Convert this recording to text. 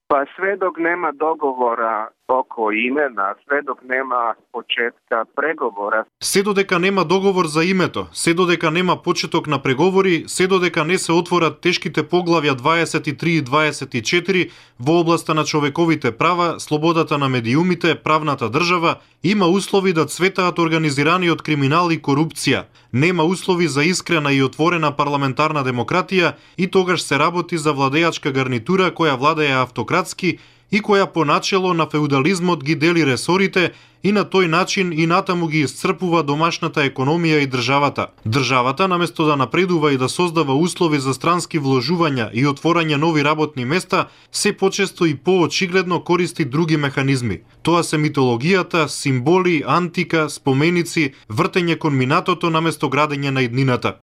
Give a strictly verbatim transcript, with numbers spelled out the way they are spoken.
Па све док нема договора око имена, све док нема почетка преговора. Се додека нема договор за името, се додека нема почеток на преговори, се додека не се отворат тешките поглавја дваесет и три и дваесет и четири во областа на човековите права, слободата на медиумите, правната држава, има услови да цветаат организираниот криминал и корупција. Нема услови за искрена и отворена парламентарна демократија и тогаш се работи за владеачка гарнитура која владее автократски и која по начело на феудализмот ги дели ресорите и на тој начин и натаму ги исцрпува домашната економија и државата. Државата, наместо да напредува и да создава услови за странски вложувања и отворање нови работни места, се почесто и поочигледно користи други механизми. Тоа се митологијата, символи, антика, споменици, вртење кон минатото наместо градење на иднината.